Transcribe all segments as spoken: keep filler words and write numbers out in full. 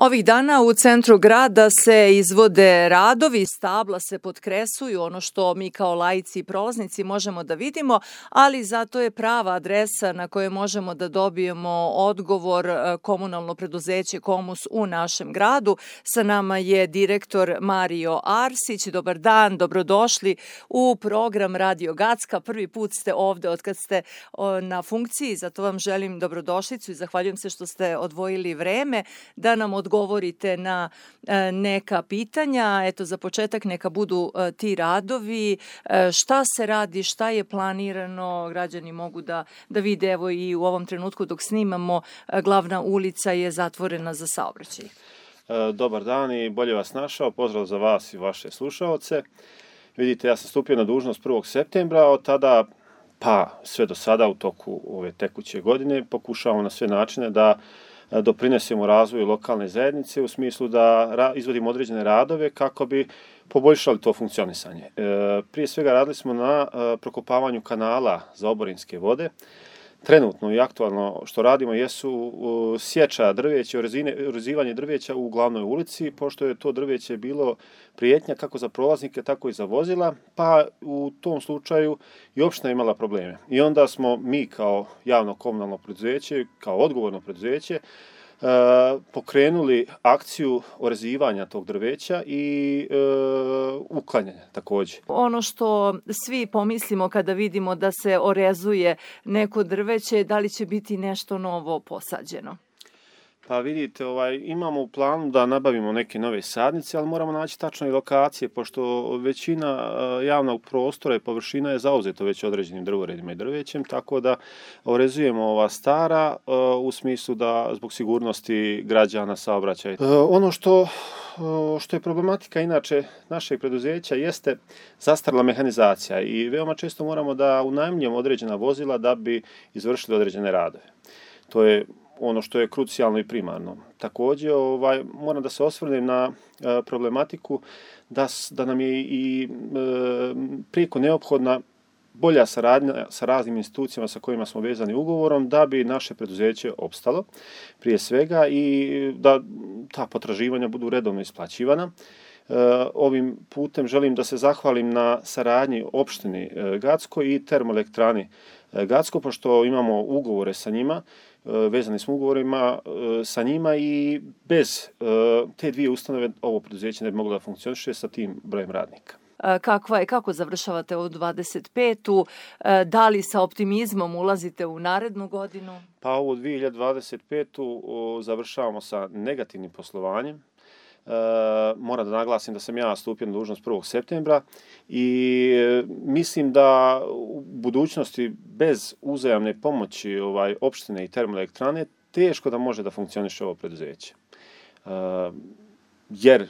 Ovih dana u centru grada se izvode radovi, stabla se potkresuju, ono što mi kao laici i prolaznici možemo da vidimo, ali zato je prava adresa na kojoj možemo da dobijemo odgovor komunalno preduzeće Komus u našem gradu. Sa nama je direktor Mario Arsić. Dobar dan, dobrodošli u program Radio Gacka. Prvi put ste ovde od kad ste na funkciji, zato vam želim dobrodošlicu i zahvaljujem se što ste odvojili vreme da nam odgovorite na neka pitanja. Eto, za početak neka budu ti radovi. Šta se radi, šta je planirano, građani mogu da, da vide. Evo i u ovom trenutku dok snimamo, glavna ulica je zatvorena za saobraćaj. Dobar dan i bolje vas našao. Pozdrav za vas i vaše slušaoce. Vidite, ja sam stupio na dužnost prvog septembra, od tada pa sve do sada u toku ove tekuće godine pokušavamo na sve načine da doprinesemo razvoju lokalne zajednice u smislu da izvodimo određene radove kako bi poboljšali to funkcionisanje. Prije svega radili smo na prokopavanju kanala za oborinske vode. Trenutno i aktualno što radimo jesu sječa drveća, urezivanje drveća u glavnoj ulici, pošto je to drveće bilo prijetnja kako za prolaznike, tako i za vozila, pa u tom slučaju i opština imala probleme. I onda smo mi kao javno komunalno preduzeće, kao odgovorno preduzeće, pokrenuli akciju orezivanja tog drveća i e, uklanjanja također. Ono što svi pomislimo kada vidimo da se orezuje neko drveće, da li će biti nešto novo posađeno? Pa vidite, ovaj, imamo u planu da nabavimo neke nove sadnice, ali moramo naći tačno i lokacije, pošto većina javnog prostora i površina je zauzeto već određenim drvoredima i drvećem, tako da orezujemo ova stara u smislu da zbog sigurnosti građana saobraćaja. Ono što, što je problematika inače našeg preduzeća jeste zastarjela mehanizacija i veoma često moramo da unajmljujemo određena vozila da bi izvršili određene radove. To je ono što je krucijalno i primarno. Također, ovaj, moram da se osvrnem na e, problematiku da, da nam je i e, prijeko neophodna bolja saradnja sa raznim institucijama sa kojima smo vezani ugovorom da bi naše preduzeće opstalo prije svega i da ta potraživanja budu redovno isplaćivana. E, ovim putem želim da se zahvalim na saradnji opštini e, Gacko i termoelektrani e, Gacko, pošto imamo ugovore sa njima, vezani smo ugovorima sa njima i bez te dvije ustanove ovo preduzeće ne bi moglo da funkcioniše sa tim brojem radnika. Kakva je, kako završavate ovu dvadeset petu? Da li sa optimizmom ulazite u narednu godinu? Pa ovu dvije hiljade dvadeset petu završavamo sa negativnim poslovanjem. Uh, moram da naglasim da sam ja stupio na dužnost prvog septembra i uh, mislim da u budućnosti bez uzajamne pomoći ovaj, opštine i termoelektrane teško da može da funkcioniše ovo preduzeće. Uh, jer uh,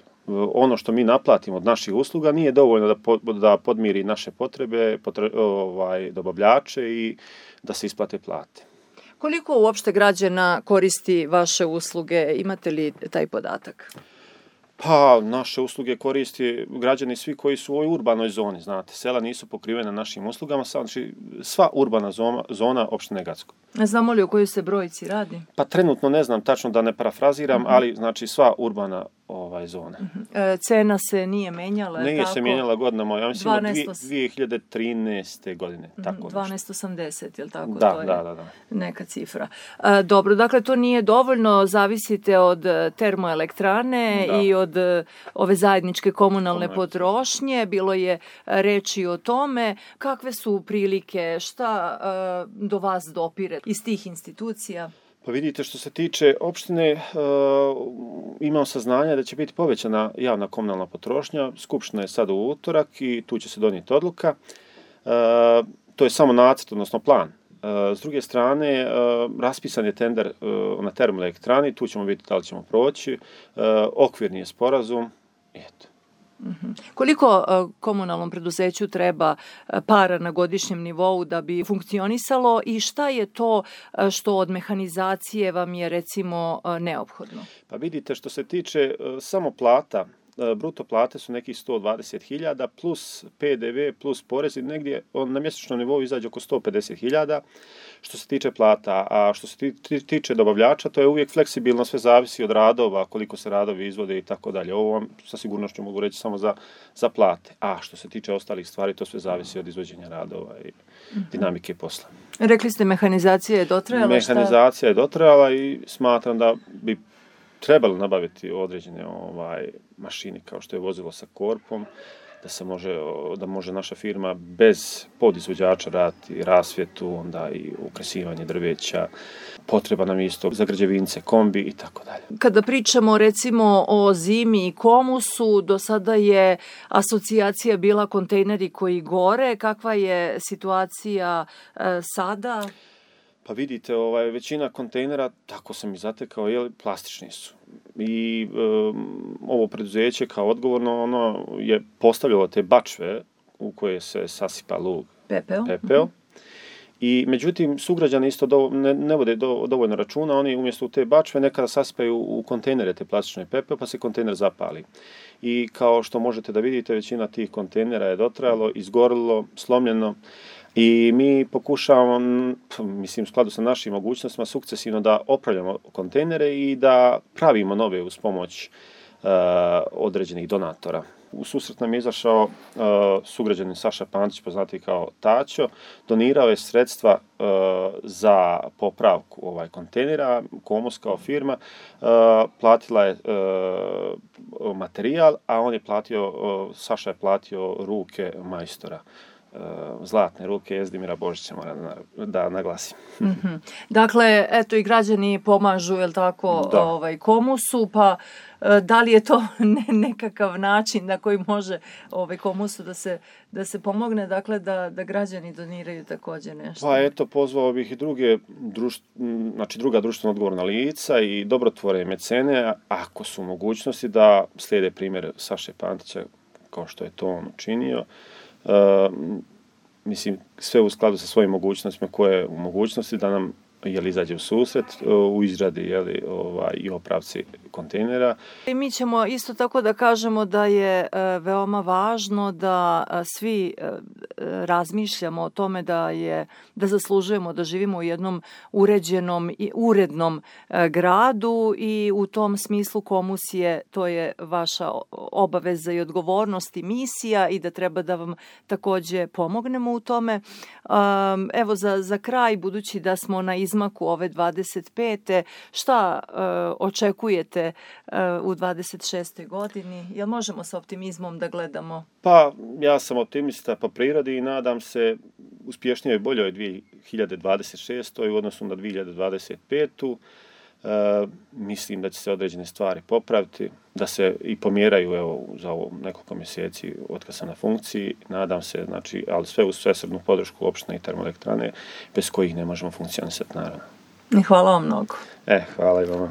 ono što mi naplatimo od naših usluga nije dovoljno da, po, da podmiri naše potrebe, potre, ovaj, dobavljače i da se isplate plate. Koliko uopšte građana koristi vaše usluge? Imate li taj podatak? Pa, naše usluge koristi građani svi koji su u ovoj urbanoj zoni, znate. Sela nisu pokrivene našim uslugama, znači sva urbana zona, zona opštine Gacko. Znamo li o kojoj se brojici radi? Pa trenutno ne znam tačno da ne parafraziram, uh-huh. ali znači sva urbana ovaj, zona. Uh-huh. E, cena se nije menjala? Nije tako? se menjala godinama, ja mislim dvanaest... dvije hiljade trinaeste. godine. Uh-huh. Tako dvanaest osamdeset, je li tako? Da, to je da, da, da. Neka cifra. E, dobro, dakle to nije dovoljno, zavisite od termoelektrane da. i od ove zajedničke komunalne Komunalne. potrošnje. Bilo je reči o tome. Kakve su prilike, šta uh, do vas dopire iz tih institucija? Pa vidite, što se tiče opštine, uh, imam saznanja da će biti povećana javna komunalna potrošnja. Skupština je sad u utorak i tu će se donijeti odluka. Uh, to je samo nacrt, odnosno plan. Uh, s druge strane, uh, raspisan je tender uh, na termoelektrani, tu ćemo vidjeti da li ćemo proći. Uh, okvirni je sporazum. Eto. Mm-hmm. Koliko uh, komunalnom preduzeću treba uh, para na godišnjem nivou da bi funkcionisalo i šta je to uh, što od mehanizacije vam je recimo uh, neophodno? Pa vidite, što se tiče uh, samo plata bruto plate su nekih sto dvadeset hiljada plus P D V plus porezi, negdje na mjesečnom nivou izađe oko sto pedeset hiljada što se tiče plata, a što se tiče dobavljača, to je uvijek fleksibilno, sve zavisi od radova, koliko se radovi izvode i tako dalje. Ovo vam sa sigurnošću mogu reći samo za, za plate. A što se tiče ostalih stvari, to sve zavisi od izvođenja radova i dinamike posla. Rekli ste mehanizacija je dotrajala. Mehanizacija šta? je dotrajala i smatram da bi trebalo nabaviti određene ovaj, mašine kao što je vozilo sa korpom, da se može, da može naša firma bez podizvođača raditi rasvjetu, onda i ukresivanje drveća, potreba nam isto za građevince, kombi i tako dalje. Kada pričamo recimo o zimi i komusu, do sada je asocijacija bila kontejneri koji gore. Kakva je situacija e, sada? Pa vidite, ovaj, većina kontejnera, tako sam i zatekao, je, plastični su. I um, ovo preduzeće kao odgovorno ono je postavljalo te bačve u koje se sasipa lug, pepeo. pepeo. Mm-hmm. I međutim, sugrađani isto do, ne, ne vode do, dovoljno računa, oni umjesto u te bačve nekada sasipaju u kontejnere te plastične pepeo, pa se kontejner zapali. I kao što možete da vidite, većina tih kontejnera je dotrajalo, izgorilo, slomljeno. I mi pokušavamo, mislim, u skladu sa našim mogućnostima, sukcesivno da opravljamo kontejnere i da pravimo nove uz pomoć uh, određenih donatora. U susret nam je izašao uh, sugrađanin Saša Pantić, poznati kao Taćo, donirao je sredstva uh, za popravku ovaj kontejnera. Komus kao firma uh, platila je uh, materijal, a on je platio, uh, Saša je platio ruke majstora. Zlatne ruke Jezdimira Božića, moram da, da naglasim. Mm-hmm. Dakle, eto i građani pomažu, jel tako, ovaj, Komusu, pa da li je to ne, nekakav način na koji može ovaj, Komusu da se, da se pomogne, dakle da, da građani doniraju također nešto? Pa eto, pozvao bih i druge, društ, znači druga društveno odgovorna lica i dobrotvore mecene, ako su mogućnosti da slijede primjer Saše Pantića, kao što je to on učinio. Uh, mislim, sve u skladu sa svojim mogućnostima koje u mogućnosti da nam jel, izađe u susret uh, u izradi jeli, ovaj, i opravci kontejnera. I mi ćemo isto tako da kažemo da je uh, veoma važno da uh, svi uh, razmišljamo o tome da je da zaslužujemo da živimo u jednom uređenom i urednom uh, gradu i u tom smislu Komus je, to je vaša obaveza i odgovornost i misija i da treba da vam također pomognemo u tome. Um, evo za, za kraj, budući da smo na izmaku ove dvadeset pete šta uh, očekujete uh, u dvadeset šestoj godini? Jel možemo sa optimizmom da gledamo? Pa, ja sam optimista po prirodi i nadam se uspješnijoj i boljoj dvije hiljade dvadeset šestoj u odnosu na dvije hiljade dvadeset petu. Uh, mislim da će se određene stvari popraviti, da se i pomjeraju evo, za ovo nekoliko mjeseci od kad sam na funkciji. Nadam se, znači, ali sve uz svesrdnu podršku opštine i termoelektrane, bez kojih ne možemo funkcionisati, naravno. I hvala vam mnogo. E, hvala i vama.